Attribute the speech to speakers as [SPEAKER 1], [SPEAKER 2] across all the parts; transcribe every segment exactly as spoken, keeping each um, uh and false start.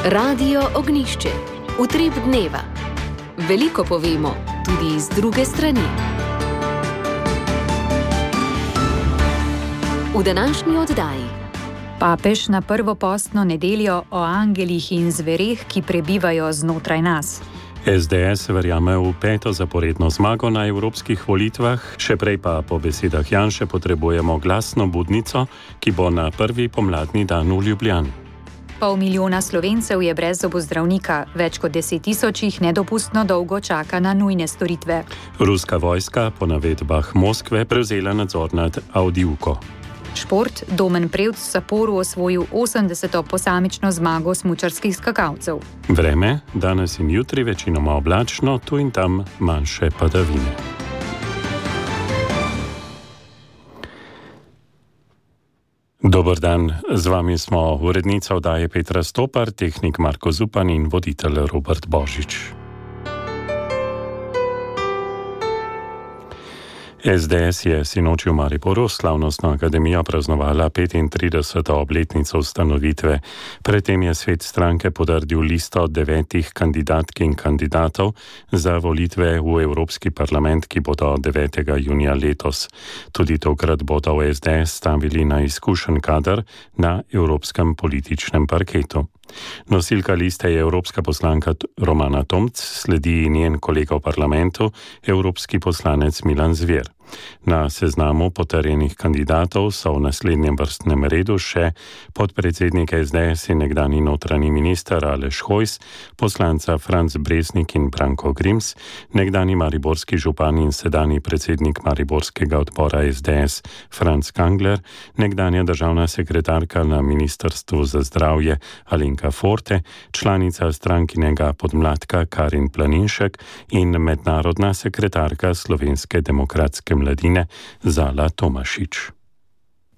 [SPEAKER 1] Radio Ognjišče. Utrip dneva. Veliko povemo, tudi iz druge strani. V današnji oddaji.
[SPEAKER 2] Papež na prvo postno nedeljo o angelih in zvereh, ki prebivajo znotraj nas.
[SPEAKER 3] S D S verjame v peto zaporedno zmago na evropskih volitvah, še prej pa po besedah Janše potrebujemo glasno budnico, ki bo na prvi pomladni dan v Ljubljani.
[SPEAKER 2] Pol milijona Slovencev je brez zobozdravnika, več kot deset tisoč jih nedopustno dolgo čaka na nujne storitve.
[SPEAKER 3] Ruska vojska po navedbah Moskve prevzela nadzor nad Avdijivko.
[SPEAKER 2] Šport, Domen Prevc v Saporu osvojil osemdeseto posamično zmago smučarskih skakalcev.
[SPEAKER 3] Vreme, danes in jutri večinoma oblačno, tu in tam manjše padavine. Dober dan, z vami smo urednica oddaje Petra Stopar, tehnik Marko Zupan in voditelj Robert Božič. S D S je sinoči v Mariboru slavnostno akademijo praznovala petintrideseto obletnico ustanovitve. Predtem je svet stranke potrdil listo devetih kandidatk in kandidatov za volitve v Evropski parlament, ki bodo devetega junija letos. Tudi tokrat bodo v S D S stavili na izkušen kader na evropskem političnem parketu. Nosilka liste je evropska poslanka Romana Tomc, sledi njen kolega v parlamentu, evropski poslanec Milan Zver. Na seznamu potrjenih kandidatov so v naslednjem vrstnem redu še podpredsednik S D S in nekdanji notranji minister Aleš Hojs, poslanca Franc Breznik in Branko Grims, nekdanji mariborski župan in sedanji predsednik mariborskega odbora S D S Franc Kangler, nekdanja državna sekretarka na Ministrstvu za zdravje Alenka Forte, članica strankinega podmladka Karin Planinšek in mednarodna sekretarka Slovenske demokratske mladine Zala Tomašič.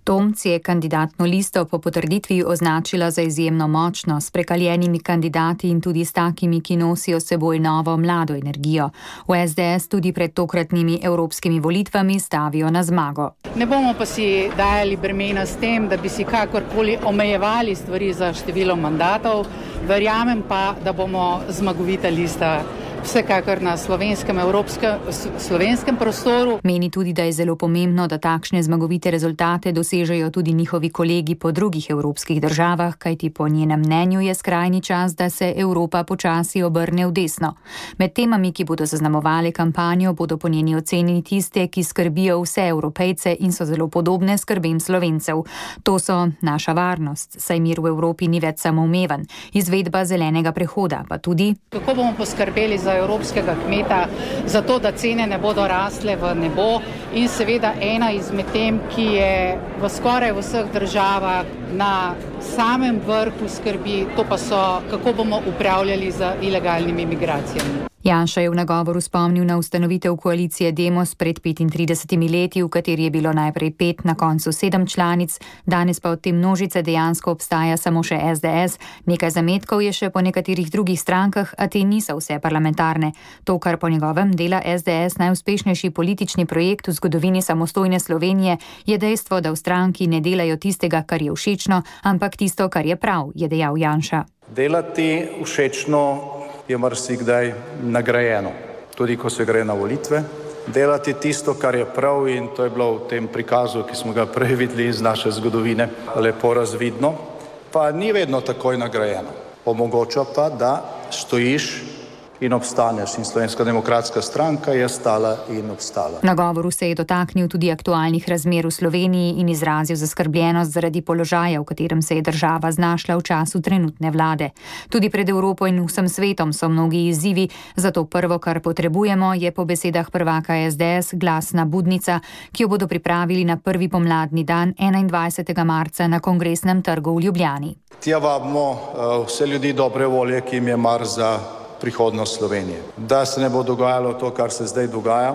[SPEAKER 2] Tomc je kandidatno listo po potrditvi označila za izjemno močno, s prekaljenimi kandidati in tudi s takimi, ki nosijo s seboj novo mlado energijo. V S D S tudi pred tokratnimi evropskimi volitvami stavijo na zmago.
[SPEAKER 4] Ne bomo pa si dajali bremena s tem, da bi si kakorkoli omejevali stvari za število mandatov. Verjamem pa, da bomo zmagovita lista vsekakor na slovenskem, evropskem, slovenskem prostoru.
[SPEAKER 2] Meni tudi, da je zelo pomembno, da takšne zmagovite rezultate dosežejo tudi njihovi kolegi po drugih evropskih državah, kajti po njenem mnenju je skrajni čas, da se Evropa počasi obrne v desno. Med temami, ki bodo zaznamovale kampanjo, bodo po njeni oceni tiste, ki skrbijo vse Evropejce in so zelo podobne skrbem Slovencev. To so naša varnost, saj mir v Evropi ni več samoumeven, izvedba zelenega prehoda, pa tudi
[SPEAKER 4] kako bomo poskrbeli za evropskega kmeta, zato da cene ne bodo rasle v nebo in seveda ena izmed tem, ki je v skoraj vseh državah na samem vrhu skrbi, to pa so, kako bomo upravljali z ilegalnimi migracijami.
[SPEAKER 2] Janša je v nagovoru spomnil na ustanovitev koalicije Demos pred petintridesetimi leti, v kateri je bilo najprej pet, na koncu sedem članic, danes pa od te množice dejansko obstaja samo še S D S. Nekaj zametkov je še po nekaterih drugih strankah, a te niso vse parlamentarne. To, kar po njegovem dela S D S najuspešnejši politični projekt v zgodovini samostojne Slovenije, je dejstvo, da v stranki ne delajo tistega, kar je všečno, ampak tisto, kar je prav, je dejal Janša.
[SPEAKER 5] Delati všečno je marsikdaj nagrajeno, tudi ko se gre na volitve. Delati tisto, kar je prav, in to je bilo v tem prikazu, ki smo ga prej videli iz naše zgodovine, lepo razvidno, pa ni vedno takoj nagrajeno. Omogoča pa, da stojiš in obstaneš, in Slovenska demokratska stranka je stala in obstala.
[SPEAKER 2] Na govoru se je dotaknil tudi aktualnih razmer v Sloveniji in izrazil zaskrbljenost zaradi položaja, v katerem se je država znašla v času trenutne vlade. Tudi pred Evropo in vsem svetom so mnogi izzivi, zato prvo, kar potrebujemo, je po besedah prvaka S D S glasna budnica, ki jo bodo pripravili na prvi pomladni dan enaindvajsetega marca na Kongresnem trgu v Ljubljani.
[SPEAKER 5] Tja vabimo uh, vse ljudi dobre volje, ki jim je mar za prihodnost Slovenije. Da se ne bo dogajalo to, kar se zdaj dogaja.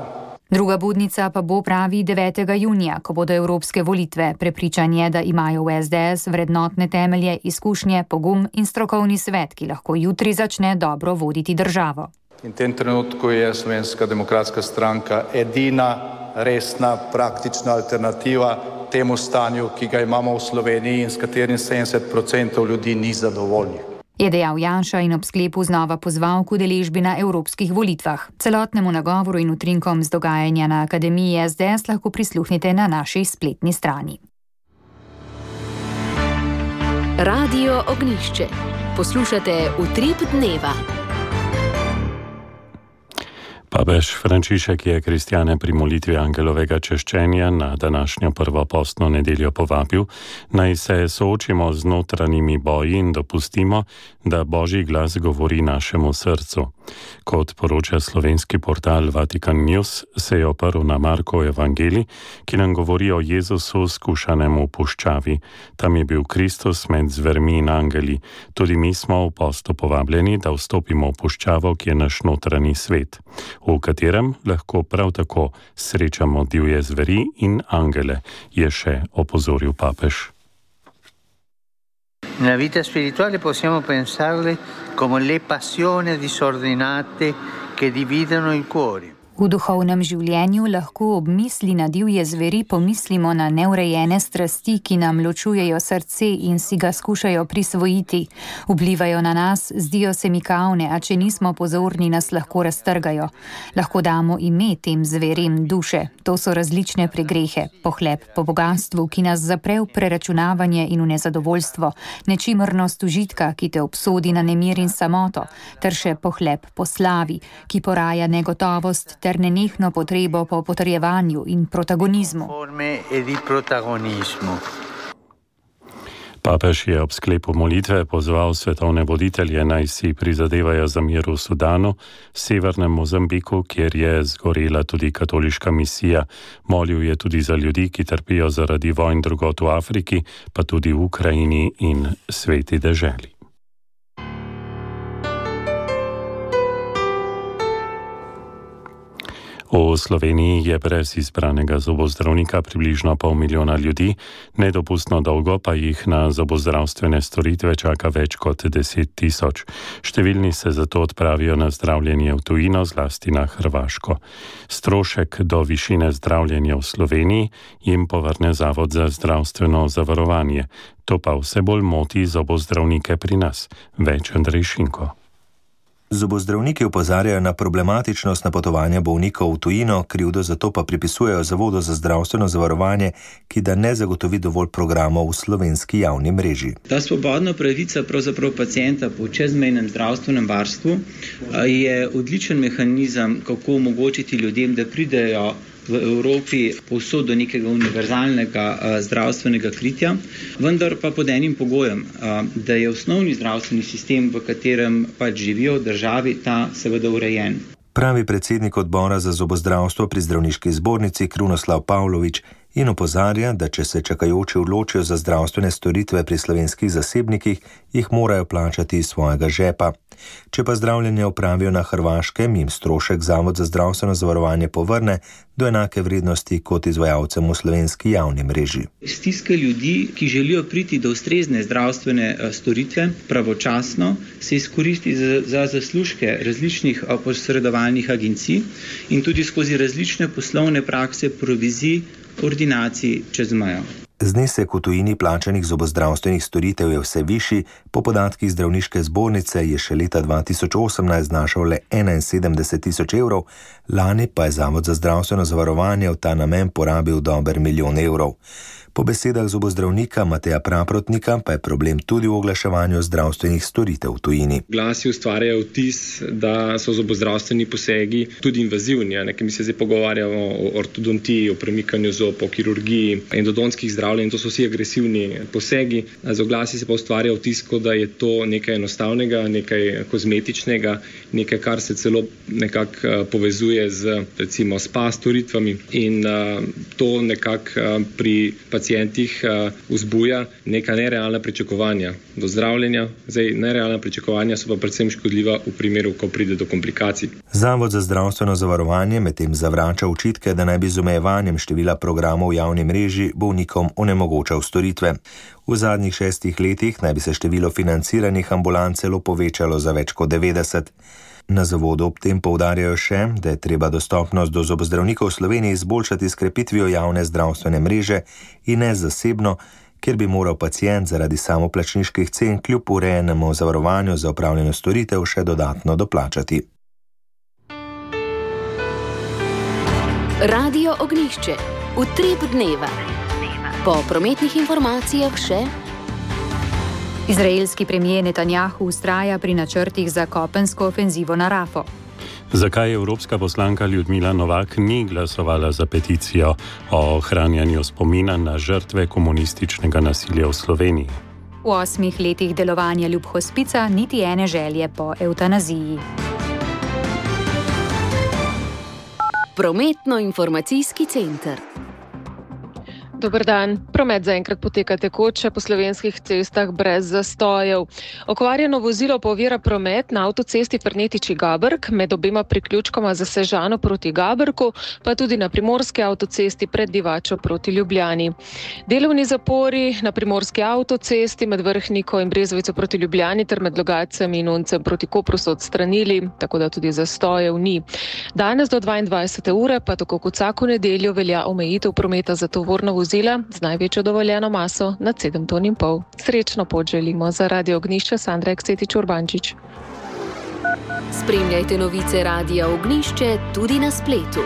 [SPEAKER 2] Druga budnica pa bo, pravi, devetega junija, ko bodo evropske volitve. Prepričan je, da imajo v S D S vrednotne temelje, izkušnje, pogum in strokovni svet, ki lahko jutri začne dobro voditi državo.
[SPEAKER 5] In v tem trenutku je Slovenska demokratska stranka edina resna, praktična alternativa temu stanju, ki ga imamo v Sloveniji in s katerim sedemdeset procentov ljudi ni zadovoljnih.
[SPEAKER 2] je dejal Janša in ob sklepu znova pozval k udeležbi na evropskih volitvah. Celotnemu nagovoru in utrinkom z dogajanja na Akademiji S D S lahko prisluhnite na naši spletni strani.
[SPEAKER 1] Radio Ognjišče. Poslušate Utrip dneva.
[SPEAKER 3] Papež Frančišek je kristjane pri molitvi angelovega češčenja na današnjo prvo postno nedeljo povabil, naj se soočimo z notranjimi boji in dopustimo, da Božji glas govori našemu srcu. Kot poroča slovenski portal Vatikan News, se je oprl na Markov evangelij, ki nam govori o Jezusu skušanem v puščavi. Tam je bil Kristus med zvermi in angeli. Tudi mi smo v postu povabljeni, da vstopimo v puščavo, ki je naš notranji svet, v katerem lahko prav tako srečamo divje zveri in angele, je še opozoril papež.
[SPEAKER 6] Nella vita spirituale possiamo pensarle come le passioni disordinate che dividono il cuore.
[SPEAKER 2] V duhovnem življenju lahko ob misli na divje zveri pomislimo na neurejene strasti, ki nam ločujejo srce in si ga skušajo prisvojiti. Vplivajo na nas, zdijo se mi kavne, a če nismo pozorni, nas lahko raztrgajo. Lahko damo ime tem zverim duše. To so različne pregrehe, pohlep po bogastvu, ki nas zapre v preračunavanje in v nezadovoljstvo, nečimrnost užitka, ki te obsodi na nemir in samoto, ter še pohlep po slavi, ki poraja negotovost ter nenehno potrebo po potrjevanju in protagonizmu.
[SPEAKER 3] Papež je ob sklepu molitve pozval svetovne voditelje, naj si prizadevajo za mir v Sudanu, severnem Mozambiku, kjer je zgorela tudi katoliška misija. Molil je tudi za ljudi, ki trpijo zaradi vojn drugod v Afriki, pa tudi v Ukrajini in sveti deželi. V Sloveniji je brez izbranega zobozdravnika približno pol milijona ljudi, nedopustno dolgo pa jih na zobozdravstvene storitve čaka več kot deset tisoč. Številni se zato odpravijo na zdravljenje v tujino, zlasti na Hrvaško. Strošek do višine zdravljenja v Sloveniji jim povrne Zavod za zdravstveno zavarovanje. To pa vse bolj moti zobozdravnike pri nas. Več Andrej Šinko.
[SPEAKER 7] Zobozdravniki opozarjajo na problematičnost napotovanja bolnikov v tujino, krivdo zato pa pripisujejo Zavodu za zdravstveno zavarovanje, ki da ne zagotovi dovolj programov v slovenski javni mreži.
[SPEAKER 8] Ta svobodna pravica pravzaprav pacienta po čezmejnem zdravstvenem varstvu je odličen mehanizem, kako omogočiti ljudem, da pridejo v Evropi povsod do nekega univerzalnega a, zdravstvenega kritja, vendar pa pod enim pogojem, a, da je osnovni zdravstveni sistem, v katerem pač živijo v državi, ta seveda urejen.
[SPEAKER 7] Pravi predsednik odbora za zobozdravstvo pri zdravniški zbornici Krunoslav Pavlović in opozarja, da če se čakajoči odločijo za zdravstvene storitve pri slovenskih zasebnikih, jih morajo plačati iz svojega žepa. Če pa zdravljenje opravijo na Hrvaškem, jim strošek Zavod za zdravstveno zavarovanje povrne do enake vrednosti kot izvajalcem v slovenski javni mreži.
[SPEAKER 8] Stiska ljudi, ki želijo priti do ustrezne zdravstvene storitve pravočasno, se izkoristi za, za zaslužke različnih posredovalnih agencij in tudi skozi različne poslovne prakse provizij ordinacij čez mejo.
[SPEAKER 7] Znesek v tujini plačanih zobozdravstvenih storitev je vse višji, po podatkih zdravniške zbornice je še leta dva tisoč osemnajst znašal le enainsedemdeset tisoč evrov, lani pa je Zavod za zdravstveno zavarovanje v ta namen porabil dober milijon evrov. Po besedah zobozdravnika Mateja Praprotnika pa je problem tudi v oglaševanju zdravstvenih storitev v tujini.
[SPEAKER 9] Glasi ustvarjajo vtis, da so zobozdravstveni posegi tudi invazivni, nekaj mi se zdaj pogovarjamo o ortodontiji, o premikanju zob, o kirurgiji, endodontskih zdravljenj, to so vsi agresivni posegi. Z oglasi se pa ustvarja vtis, da je to nekaj enostavnega, nekaj kozmetičnega, nekaj, kar se celo nekako povezuje z recimo spa storitvami in uh, to nekako uh, pri pacijentih uh, vzbuja neka nerealna pričakovanja do zdravljenja. Zdaj, nerealna pričakovanja so pa predvsem škodljiva v primeru, ko pride do komplikacij.
[SPEAKER 7] Zavod za zdravstveno zavarovanje medtem zavrača očitke, da naj bi z omejevanjem števila programov v javni mreži bolnikom onemogočal storitve. V zadnjih šestih letih naj bi se število financiranih ambulant celo povečalo za več kot devetdeset. Na zavodu ob tem poudarjajo še, da je treba dostopnost do zobozdravnikov v Sloveniji izboljšati s krepitvijo javne zdravstvene mreže in ne zasebno, kjer bi moral pacient zaradi samoplačniških cen kljub urejenemu zavarovanju za opravljeno storitev še dodatno doplačati.
[SPEAKER 1] Radio Ognjišče. Utrip dneva. Po prometnih informacijah še.
[SPEAKER 2] Izraelski premijer Netanjahu vztraja pri načrtih za kopensko ofenzivo na Rafo.
[SPEAKER 3] Zakaj evropska poslanka Ljudmila Novak ni glasovala za peticijo o ohranjanju spomina na žrtve komunističnega nasilja v Sloveniji?
[SPEAKER 2] V osmih letih delovanja Ljubhospica niti ene želje po evtanaziji.
[SPEAKER 1] Prometno-informacijski center.
[SPEAKER 10] Dober dan. Promet zaenkrat poteka tekoče po slovenskih cestah brez zastojev. Okvarjeno vozilo pa ovira promet na avtocesti Fernetiči-Gabrk med obema priključkoma za Sežano proti Gabrku, pa tudi na primorski avtocesti pred Divačo proti Ljubljani. Delovni zapori na primorski avtocesti med Vrhniko in Brezovico proti Ljubljani ter med Logajcem in Uncem proti Kopru so odstranili, tako da tudi zastojev ni. Danes do dvaindvajsete ure pa tako kot vsako nedeljo velja omejitev prometa za tovorna vozila z največjo dovoljeno maso nad sedem ton in pol. Srečno pot želimo. Za Radio Ognjišče Sandra Eksetič Urbančič.
[SPEAKER 1] Spremljajte novice Radia Ognjišče tudi na spletu.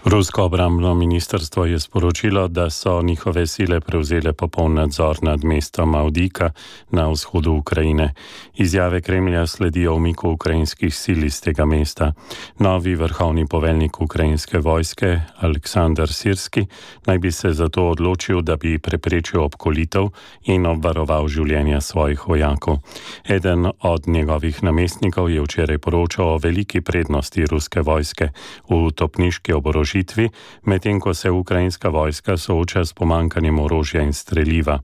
[SPEAKER 3] Rusko obrambno ministrstvo je sporočilo, da so njihove sile prevzele popoln nadzor nad mestom Avdijka na vzhodu Ukrajine. Izjave Kremlja sledijo umiku ukrajinskih sil iz tega mesta. Novi vrhovni poveljnik ukrajinske vojske, Aleksandar Sirski, naj bi se zato odločil, da bi preprečil obkolitev in obvaroval življenja svojih vojakov. Eden od njegovih namestnikov je včeraj poročal o veliki prednosti ruske vojske v topniški oborožitvi, medtem ko se ukrajinska vojska sooča s pomanjkanjem orožja in streliva.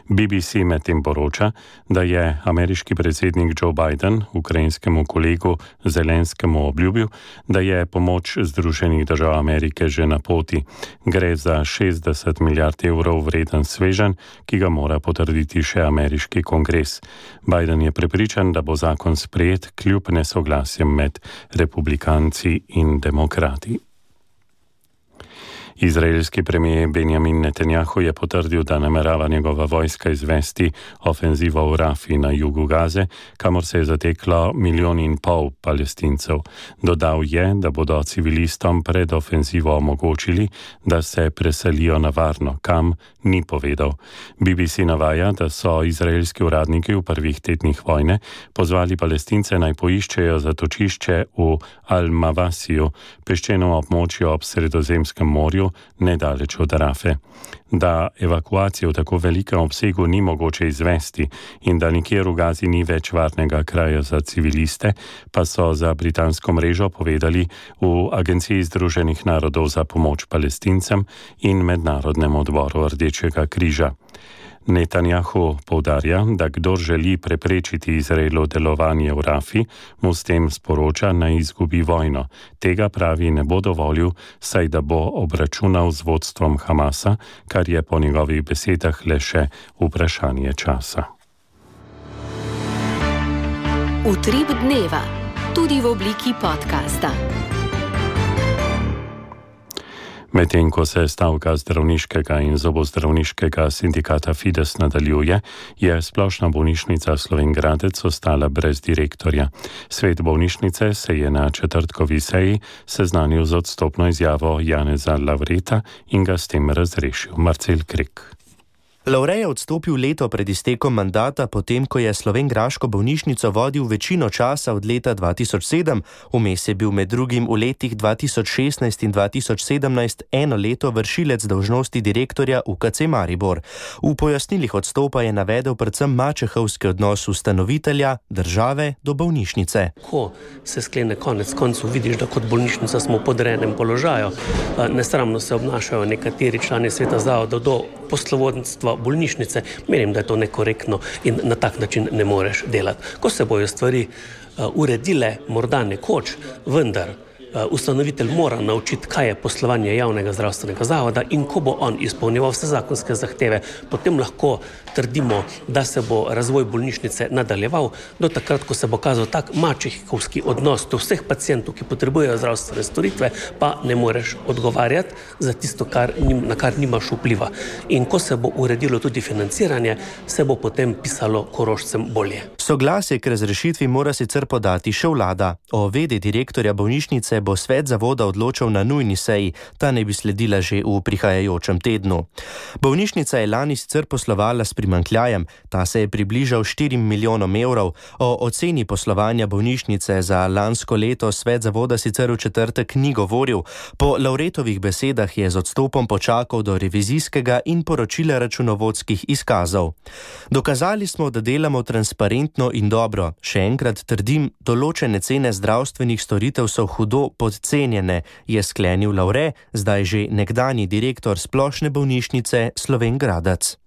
[SPEAKER 3] B B C medtem poroča, da je ameriški predsednik Joe Biden ukrajinskemu kolegu Zelenskemu obljubil, da je pomoč Združenih držav Amerike že na poti. Gre za šestdeset milijard evrov vreden sveženj, ki ga mora potrditi še ameriški kongres. Biden je prepričan, da bo zakon sprejet kljub nesoglasjem med republikanci in demokrati. Izraelski premijer Benjamin Netanjahu je potrdil, da namerava njegova vojska izvesti ofenzivo v Rafi na jugu Gaze, kamor se je zateklo milijon in pol Palestincev. Dodal je, da bodo civilistom pred ofenzivo omogočili, da se preselijo na varno, kam ni povedal. B B C navaja, da so izraelski uradniki v prvih tednih vojne pozvali Palestince naj poiščejo zatočišče v Al-Mavasiju, peščenem območju ob Sredozemskem morju, nedaleč od Rafe. Da evakuacije v tako velikem obsegu ni mogoče izvesti in da nikjer v Gazi ni več varnega kraja za civiliste, pa so za britansko mrežo povedali v Agenciji Združenih narodov za pomoč Palestincem in Mednarodnem odboru Rdečega križa. Netanjahu poudarja, da kdor želi preprečiti Izraelu delovanje v Rafi, mu s tem sporoča, naj izgubi vojno. Tega pravi ne bo dovolil, saj da bo obračunal z vodstvom Hamasa, kar je po njegovih besedah le še vprašanje časa.
[SPEAKER 1] Utrip dneva, tudi v obliki podcasta.
[SPEAKER 3] Medtem ko se stavka zdravniškega in zobozdravniškega sindikata Fides nadaljuje, je Splošna bolnišnica Slovenj Gradec ostala brez direktorja. Svet bolnišnice se je na četrtkovi seji seznanil z odstopno izjavo Janeza Lavreta in ga s tem razrešil. Marcel Krek.
[SPEAKER 11] Lavre je odstopil leto pred iztekom mandata, potem ko je slovenjgraško bolnišnico vodil večino časa od leta dva tisoč sedem, vmes je bil med drugim v letih dva tisoč šestnajst in dva tisoč sedemnajst eno leto vršilec dolžnosti direktorja U K C Maribor. V pojasnilih odstopa je navedel predvsem mačehovski odnos ustanovitelja, države do bolnišnice.
[SPEAKER 12] Ko se sklene konec koncev, vidiš, da kot bolnišnica smo v podrejenem položaju. Nesramno se obnašajo nekateri člani sveta zavoda do poslovodstva bolnišnice, menim, da je to nekorektno in na tak način ne moreš delati. Ko se bojo stvari uh, uredile, morda nekoč, vendar ustanovitelj mora naučiti, kaj je poslovanje javnega zdravstvenega zavoda in ko bo on izpolnjeval vse zakonske zahteve, potem lahko trdimo, da se bo razvoj bolnišnice nadaljeval do takrat, ko se bo kazal tak mačehovski odnos do vseh pacientov, ki potrebujejo zdravstvene storitve, pa ne moreš odgovarjati za tisto, kar, na kar nimaš vpliva. In ko se bo uredilo tudi financiranje, se bo potem pisalo Korošcem bolje.
[SPEAKER 11] Soglasje k razrešitvi mora sicer podati še vlada. O vedi direktorja bolnišnice bo svet zavoda odločal na nujni seji, ta ne bi sledila že v prihajajočem tednu. Bolnišnica je lani sicer poslovala s primanjkljajem, ta se je približal štirim milijonom evrov. O oceni poslovanja bolnišnice za lansko leto svet zavoda sicer v četrtek ni govoril. Po Lavretovih besedah je z odstopom počakal do revizijskega in poročila računovodskih izkazov. Dokazali smo, da delamo transparentno in dobro. Še enkrat trdim, določene cene zdravstvenih storitev so hudo podcenjene, je sklenil Lavre, zdaj že nekdanji direktor Splošne bolnišnice Slovenj Gradec.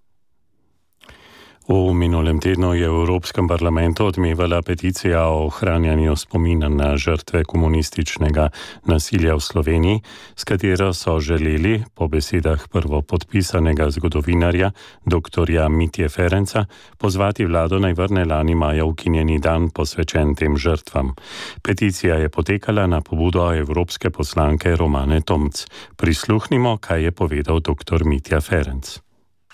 [SPEAKER 3] V minulem tednu je v Evropskem parlamentu odmevala peticija o ohranjanju spomina na žrtve komunističnega nasilja v Sloveniji, s katero so želeli, po besedah prvopodpisanega zgodovinarja doktorja Mitje Ferenca, pozvati vlado naj vrne lani maja ukinjeni dan posvečen tem žrtvam. Peticija je potekala na pobudo evropske poslanke Romane Tomc. Prisluhnimo, kaj je povedal doktor Mitja Ferenc.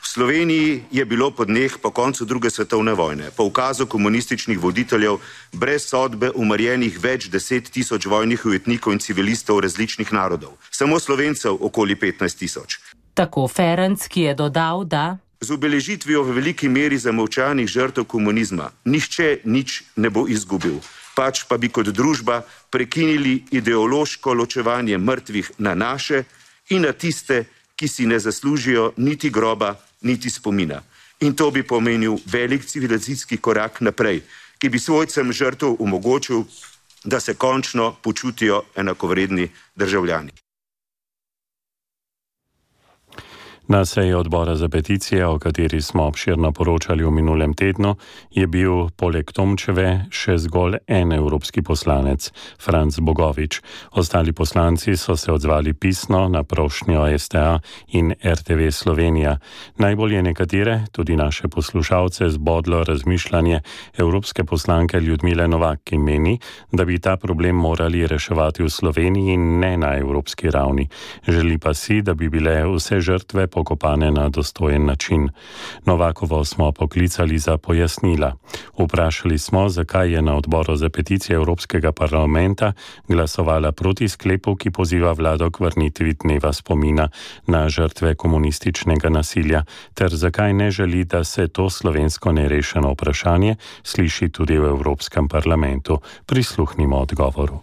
[SPEAKER 13] V Sloveniji je bilo po dneh po koncu druge svetovne vojne, po ukazu komunističnih voditeljev, brez sodbe umrjenih več deset tisoč vojnih ujetnikov in civilistov različnih narodov. Samo Slovencev okoli petnajst tisoč.
[SPEAKER 14] Tako Ferenc, ki je dodal, da
[SPEAKER 13] z obeležitvijo v veliki meri zamolčanih žrtev komunizma nihče nič ne bo izgubil. Pač pa bi kot družba prekinili ideološko ločevanje mrtvih na naše in na tiste, ki si ne zaslužijo niti groba, niti spomina. In to bi pomenil velik civilizacijski korak naprej, ki bi svojcem žrtev omogočil, da se končno počutijo enakovredni državljani.
[SPEAKER 3] Na seji odbora za peticije, o kateri smo obširno poročali v minulem tednu, je bil poleg Tomčeve še zgolj en evropski poslanec, Franc Bogovič. Ostali poslanci so se odzvali pisno na prošnjo S T A in R T V Slovenija. Najbolj je nekatere, tudi naše poslušalce, zbodlo razmišljanje evropske poslanke Ljudmile Novak, ki meni, da bi ta problem morali reševati v Sloveniji in ne na evropski ravni. Želi pa si, da bi bile vse žrtve pokopane na dostojen način. Novakovo smo poklicali za pojasnila. Vprašali smo, zakaj je na odboru za peticije Evropskega parlamenta glasovala proti sklepu, ki poziva vlado k vrnitvi dneva spomina na žrtve komunističnega nasilja, ter zakaj ne želi, da se to slovensko nerešeno vprašanje sliši tudi v Evropskem parlamentu. Prisluhnimo odgovoru.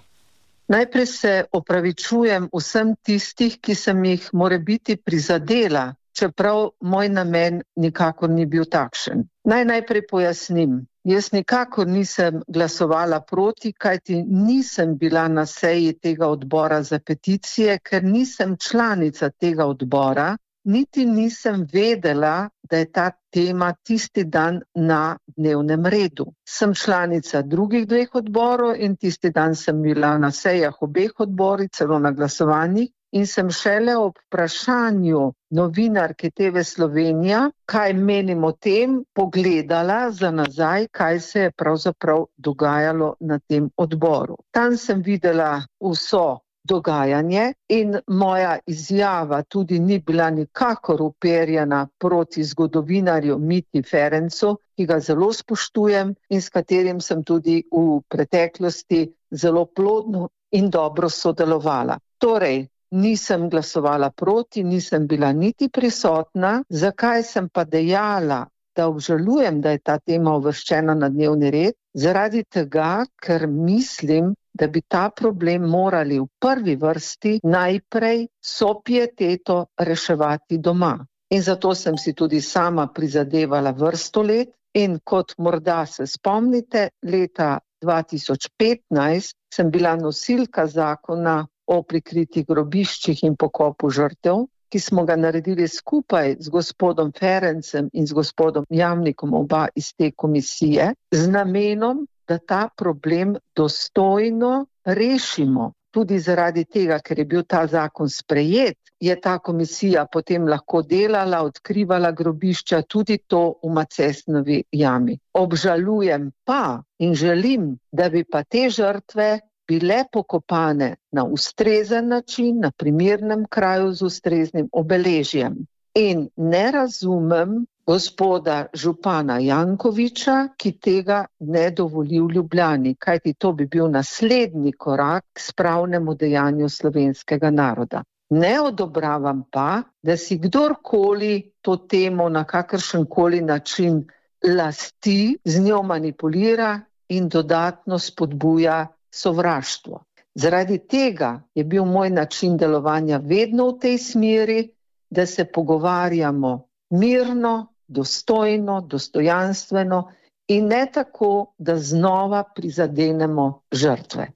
[SPEAKER 15] Najprej se opravičujem vsem tistih, ki sem jih morebiti prizadela, čeprav moj namen nikakor ni bil takšen. Naj najprej pojasnim. Jaz nikakor nisem glasovala proti, kajti nisem bila na seji tega odbora za peticije, ker nisem članica tega odbora, niti nisem vedela, da je ta tema tisti dan na dnevnem redu. Sem članica drugih dveh odborov in tisti dan sem bila na sejah obeh odborov, celo na glasovanjih, in sem šele ob vprašanju novinarke T V Slovenija, kaj menim o tem, pogledala za nazaj, kaj se je pravzaprav dogajalo na tem odboru. Tam sem videla vso dogajanje in moja izjava tudi ni bila nikakor uperjena proti zgodovinarju Mitji Ferencu, ki ga zelo spoštujem in s katerim sem tudi v preteklosti zelo plodno in dobro sodelovala. Torej, nisem glasovala proti, nisem bila niti prisotna, zakaj sem pa dejala, da obžalujem, da je ta tema uvrščena na dnevni red, zaradi tega, ker mislim, da bi ta problem morali v prvi vrsti najprej so pieteto reševati doma. In zato sem si tudi sama prizadevala vrsto let in kot morda se spomnite, leta dva tisoč petnajst sem bila nosilka zakona o prikritih grobiščih in pokopu žrtev, ki smo ga naredili skupaj z gospodom Ferencem in z gospodom Jamnikom, oba iz te komisije, z namenom, da ta problem dostojno rešimo. tudi zaradi tega, ker je bil ta zakon sprejet, je ta komisija potem lahko delala, odkrivala grobišča, tudi to v Macesnovi jami. Obžalujem pa in želim, da bi pa te žrtve bile pokopane na ustrezen način, na primernem kraju z ustreznim obeležjem. In ne razumem gospoda župana Jankoviča, ki tega ne dovoli v Ljubljani, kajti to bi bil naslednji korak k spravnemu dejanju slovenskega naroda. Ne odobravam pa, da si kdorkoli to temo na kakršenkoli način lasti, z njo manipulira in dodatno spodbuja sovraštvo. Zaradi tega je bil moj način delovanja vedno v tej smeri, da se pogovarjamo mirno, dostojno, dostojanstveno in ne tako, da znova prizadenemo žrtve.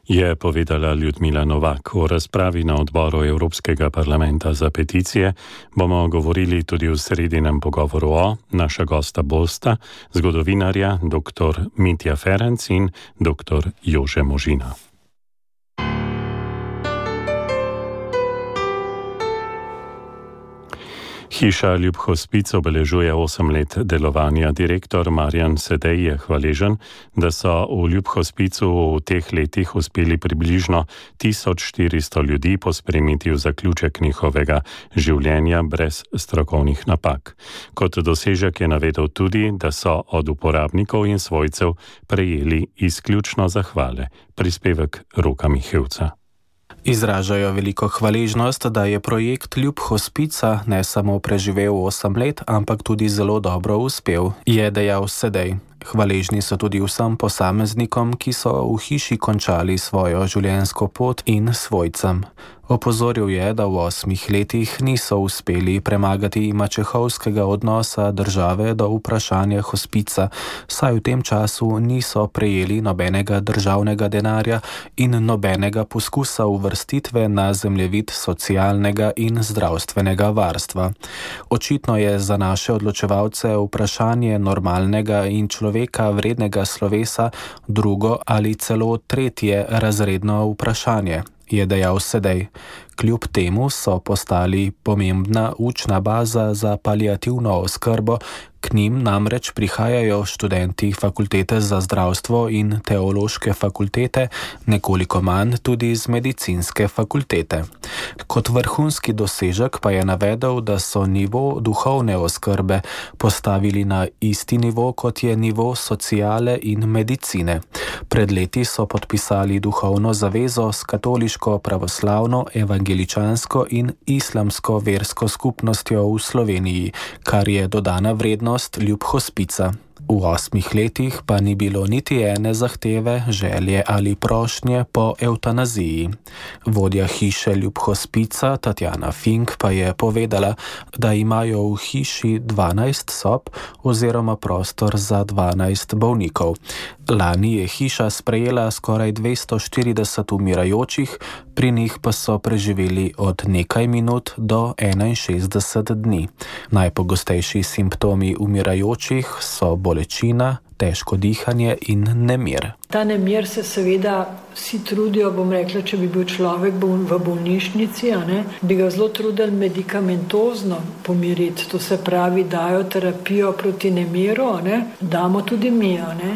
[SPEAKER 3] Je povedala Ljudmila Novak. V razpravi na odboru Evropskega parlamenta za peticije bomo govorili tudi v sredinem pogovoru o naša gosta bosta, zgodovinarja dr. Mitja Ferenc in dr. Jože Možina. Hiša Ljub Hospic obeležuje osem let delovanja. Direktor Marjan Sedej je hvaležen, da so v Ljub Hospicu v teh letih uspeli približno tisoč štiristo ljudi pospremiti v zaključek njihovega življenja brez strokovnih napak. Kot dosežek je navedel tudi, da so od uporabnikov in svojcev prejeli izključno zahvale. Prispevek Roka Mihevca.
[SPEAKER 16] Izražajo veliko hvaležnost, da je projekt Ljub Hospica ne samo preživel osem let, ampak tudi zelo dobro uspel, je dejal Sedej. Hvaležni so tudi vsem posameznikom, ki so v hiši končali svojo življenjsko pot in svojcem. Opozoril je, da v osmih letih niso uspeli premagati mačehovskega odnosa države do vprašanja hospica, saj v tem času niso prejeli nobenega državnega denarja in nobenega poskusa uvrstitve na zemljevid socialnega in zdravstvenega varstva. Očitno je za naše odločevalce vprašanje normalnega in človeka vrednega slovesa drugo ali celo tretje razredno vprašanje, je dejal Sedej. Kljub temu so postali pomembna učna baza za paliativno oskrbo, k njim namreč prihajajo študenti fakultete za zdravstvo in teološke fakultete, nekoliko manj tudi z medicinske fakultete. Kot vrhunski dosežek pa je navedel, da so nivo duhovne oskrbe postavili na isti nivo, kot je nivo sociale in medicine. Pred leti so podpisali duhovno zavezo s katoliško, pravoslavno, evangeličansko in islamsko versko skupnostjo v Sloveniji, kar je dodana vrednost Ljub Hospica. V osmih letih pa ni bilo niti ene zahteve, želje ali prošnje po evtanaziji. Vodja hiše Ljub Hospica, Tatjana Fink, pa je povedala, da imajo v hiši dvanajst sob oziroma prostor za dvanajst bolnikov. Lani je hiša sprejela skoraj dvesto štirideset umirajočih, pri njih pa so preživeli od nekaj minut do enainšestdeset dni. Najpogostejši simptomi umirajočih so bolečina, težko dihanje in nemir.
[SPEAKER 17] Ta nemir se seveda vsi trudijo, bom rekla, če bi bil človek v bolnišnici, a ne, bi ga zelo trudili medikamentozno pomiriti, to se pravi, dajo terapijo proti nemiru, a ne, damo tudi mi, a ne.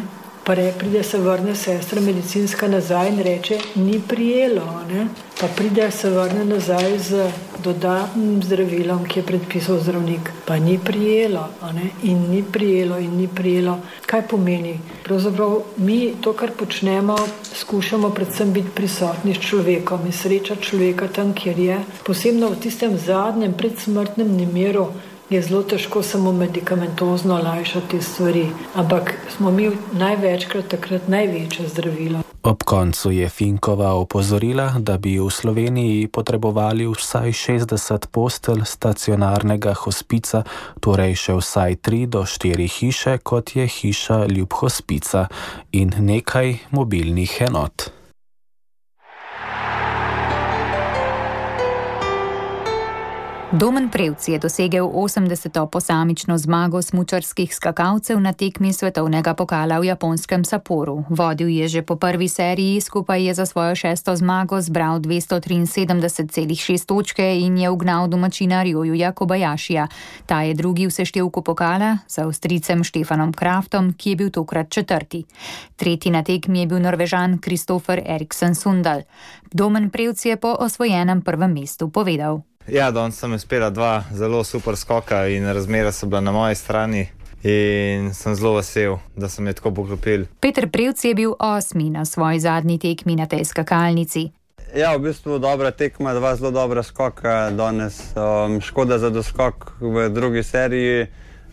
[SPEAKER 17] Pa pride se vrne sestra medicinska nazaj in reče, ni prijelo, ne? Pa pride se vrne nazaj z dodatnim zdravilom, ki je predpisal zdravnik. Pa ni prijelo, ne? In ni prijelo, in ni prijelo. Kaj pomeni? Pravzaprav mi to, kar počnemo, skušamo predvsem biti prisotni s človekom in srečati človeka tam, kjer je. Posebno v tistem zadnjem predsmrtnem nemiru je zelo težko samo medikamentozno olajšati stvari, ampak smo mi največkrat takrat največje zdravilo.
[SPEAKER 16] Ob koncu je Finkova opozorila, da bi v Sloveniji potrebovali vsaj šestdeset postelj stacionarnega hospica, torej še vsaj tri do štiri hiše, kot je hiša Ljub Hospica, in nekaj mobilnih enot.
[SPEAKER 2] Domen Prevc je dosegel osemdeseto posamično zmago smučarskih skakalcev na tekmi svetovnega pokala v japonskem Sapporu. Vodil je že po prvi seriji, skupaj je za svojo šesto zmago zbral dvesto triinsedemdeset celih šest točke in je ugnal domačina Ryojuja Kobayashija. Ta je drugi v seštevku pokala za Avstrijcem Stefanom Kraftom, ki je bil tokrat četrti. Tretji na tekmi je bil Norvežan Kristoffer Eriksen Sundal. Domen Prevc je po osvojenem prvem mestu povedal:
[SPEAKER 18] Ja, danes sem uspela dva zelo super skoka in razmere so bila na moji strani in sem zelo vesel, da sem je tako poklopil.
[SPEAKER 2] Peter Prevc je bil osmi na svoji zadnji tekmi na tej skakalnici.
[SPEAKER 19] Ja, v bistvu dobra tekma, dva zelo dobra skoka danes. Um, škoda za doskok v drugi seriji.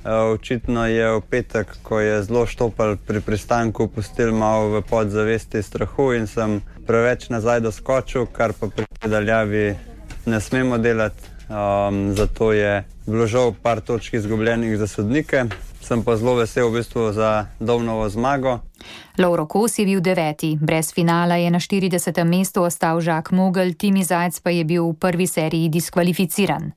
[SPEAKER 19] Uh, očitno je v petek, ko je zelo štopal pri pristanku, pustil malo v podzavesti strahu in sem preveč nazaj doskočil, kar pa pri daljavi ne smemo delati, um, zato je bilo žal par točk izgubljenih za sodnike. Sem pa zelo vesel v bistvu za Domnovo zmago.
[SPEAKER 2] Lovro Kos je bil deveti. Brez finala je na štiridesetem mestu ostal Žak Mogel, Timi Zajc pa je bil v prvi seriji diskvalificiran.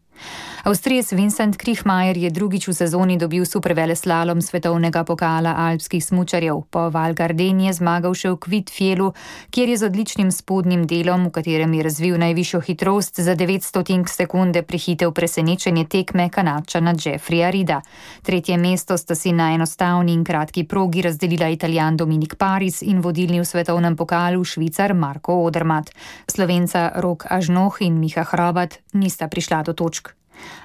[SPEAKER 2] Avstrijec Vincent Kriechmayer je drugič v sezoni dobil superveleslalom svetovnega pokala alpskih smučarjev. Po Val Gardeni je zmagal še v Kvitfjelu, kjer je z odličnim spodnjim delom, v katerem je razvil najvišjo hitrost, za devet stotink sekunde prehitel presenečenje tekme Kanadčana Jeffreya Reeda. Tretje mesto sta si na enostavni in kratki progi razdelila Italijan Dominik Paris in vodilni v svetovnem pokalu Švicar Marko Odermatt. Slovenca Rok Ažnoh in Miha Hrobat nista prišla do točk.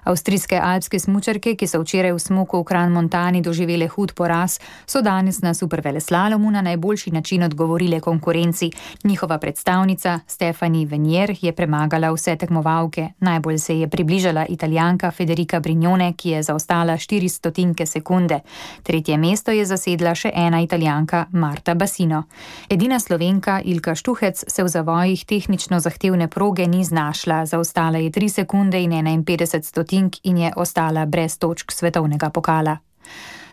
[SPEAKER 2] Avstrijske alpske smučarke, ki so včeraj v smuku v Kran-Montani doživele hud poraz, so danes na superveleslalomu na najboljši način odgovorile konkurenci. Njihova predstavnica Stefanie Venier je premagala vse tekmovalke. Najbolj se je približala Italijanka Federica Brignone, ki je zaostala štiri stotinke sekunde. Tretje mesto je zasedla še ena Italijanka Marta Bassino. Edina Slovenka Ilka Štuhec se v zavojih tehnično zahtevne proge ni znašla. Zaostala je tri sekunde in enainpetdeset stotink in je ostala brez točk svetovnega pokala.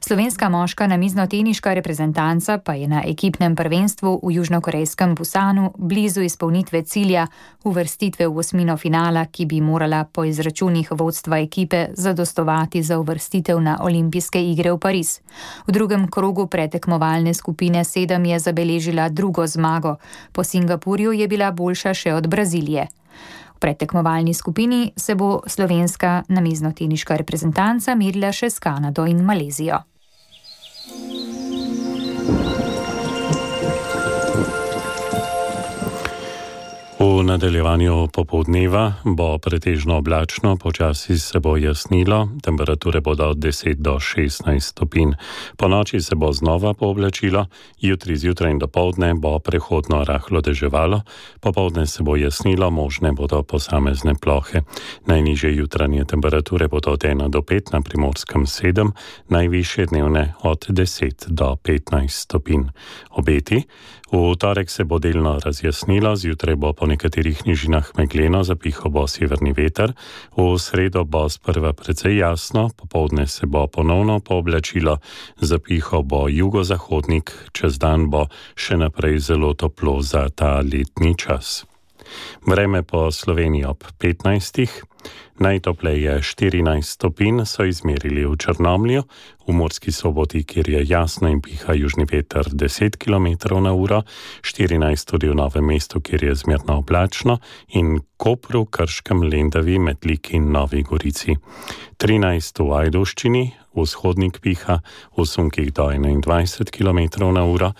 [SPEAKER 2] Slovenska moška namiznoteniška reprezentanca pa je na ekipnem prvenstvu v južnokorejskem Busanu blizu izpolnitve cilja uvrstitve v osmino finala, ki bi morala po izračunih vodstva ekipe zadostovati za uvrstitev na olimpijske igre v Pariz. V drugem krogu pretekmovalne skupine sedem je zabeležila drugo zmago. Po Singapurju je bila boljša še od Brazilije. V predtekmovalni skupini se bo slovenska namiznoteniška reprezentanca merila še s Kanado in Malezijo.
[SPEAKER 3] V nadaljevanju popoldneva bo pretežno oblačno, počasi se bo jasnilo, temperature bodo od deset do šestnajst stopinj. Po noči se bo znova pooblačilo, jutri zjutraj in dopoldne bo prehodno rahlo deževalo, popoldne se bo jasnilo, možne bodo posamezne plohe. Najnižje jutranje temperature bodo od ena do pet, na Primorskem sedem, najvišje dnevne od deset do petnajst stopinj. Obeti. V torek se bo delno razjasnilo, zjutraj bo po nekaterih nižinah megleno, zapihal bo severni veter, v sredo bo sprva precej jasno, popoldne se bo ponovno pooblačilo, zapihal bo jugozahodnik, čez dan bo še naprej zelo toplo za ta letni čas. Vreme po Sloveniji ob petnajstih. Najtopleje štirinajst stopinj so izmerili v Črnomlju, v Murski Soboti, kjer je jasno in piha južni veter deset kilometrov na uro, štirinajst tudi v Novem mestu, kjer je zmerno oblačno, in Kopru, Krškem, Lendavi, Metliki in Novi Gorici. trinajst v Ajdovščini, vzhodnik piha v sunkih do enaindvajset kilometrov na uro,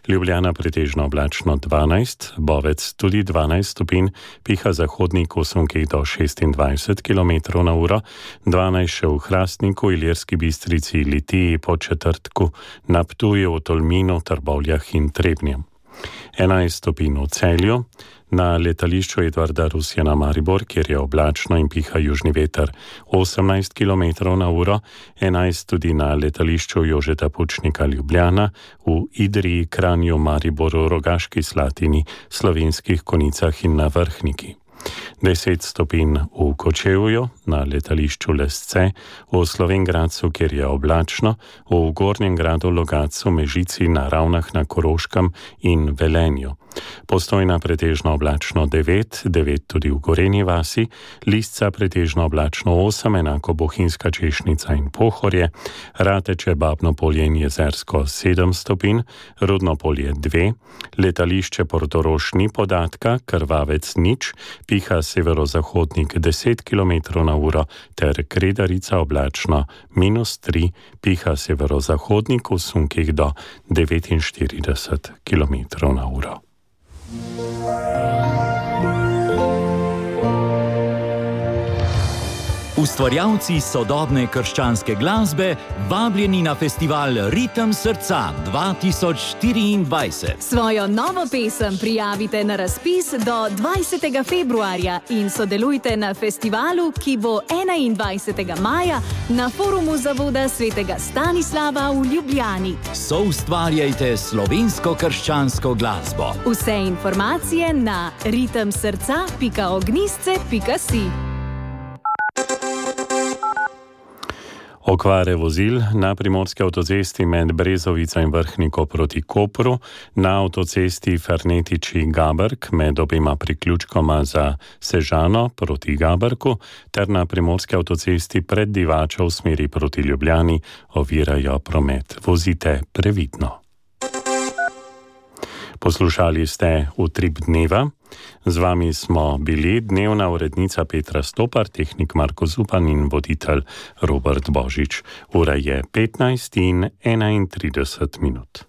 [SPEAKER 3] Ljubljana pretežno oblačno dvanajst, Bovec tudi dvanajst stopinj, piha zahodnik v sunkih do šestindvajset kilometrov na uro, dvanajst še v Hrastniku, Ilirski Bistrici, Litiji, Podčetrtku, na Ptuju, v Tolminu, Trbovljah in Trebnjem. enajst stopinj v Celju, na letališču Edvarda Rusjana Maribor, kjer je oblačno in piha južni veter osemnajst kilometrov na uro, enajst tudi na letališču Jožeta Pučnika Ljubljana, v Idriji, Kranju, Mariboru, Rogaški Slatini, Slovenskih Konicah in na Vrhniki. deset stopinj v Kočevju, na letališču Lesce, v Slovenj Gradcu, kjer je oblačno, v Gornjem Gradu, Logatcu, Mežici, na Ravnah na Koroškem in Velenju. Postojna pretežno oblačno devet, devet tudi v Gorenji vasi, Lisca pretežno oblačno osem, enako Bohinjska, Češnica in Pohorje, Rateče, Babno Polje in Jezersko sedem stopinj, Rudno Polje dve, letališče Portorož ni podatka, Krvavec nič, piha severozahodnik deset kilometrov na uro ter Kredarica oblačno minus tri, piha severozahodnik v sunkih do devetinštirideset kilometrov na uro.
[SPEAKER 20] Ustvarjalci sodobne krščanske glasbe vabljeni na festival Ritem srca dva tisoč štiriindvajset.
[SPEAKER 21] Svojo novo pesem prijavite na razpis do dvajsetega februarja in sodelujte na festivalu, ki bo enaindvajsetega maja na forumu Zavoda svetega Stanislava v Ljubljani.
[SPEAKER 20] Soustvarjajte slovensko krščansko glasbo.
[SPEAKER 21] Vse informacije na ritem srca pika ognjisce pika si.
[SPEAKER 3] Okvare vozil na primorski avtocesti med Brezovico in Vrhniko proti Kopru, na avtocesti Fernetiči-Gaberk med obima priključkoma za Sežano proti Gaberku ter na primorski avtocesti pred Divačo v smeri proti Ljubljani ovirajo promet. Vozite previdno. Poslušali ste Utrip dneva. Z vami smo bili dnevna urednica Petra Stopar, tehnik Marko Zupan in voditelj Robert Božič. Ura je petnajst in enaintrideset minut.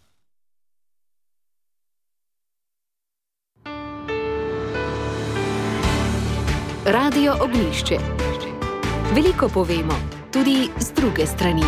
[SPEAKER 1] Radio Ognjišče. Veliko povemo, tudi z druge strani.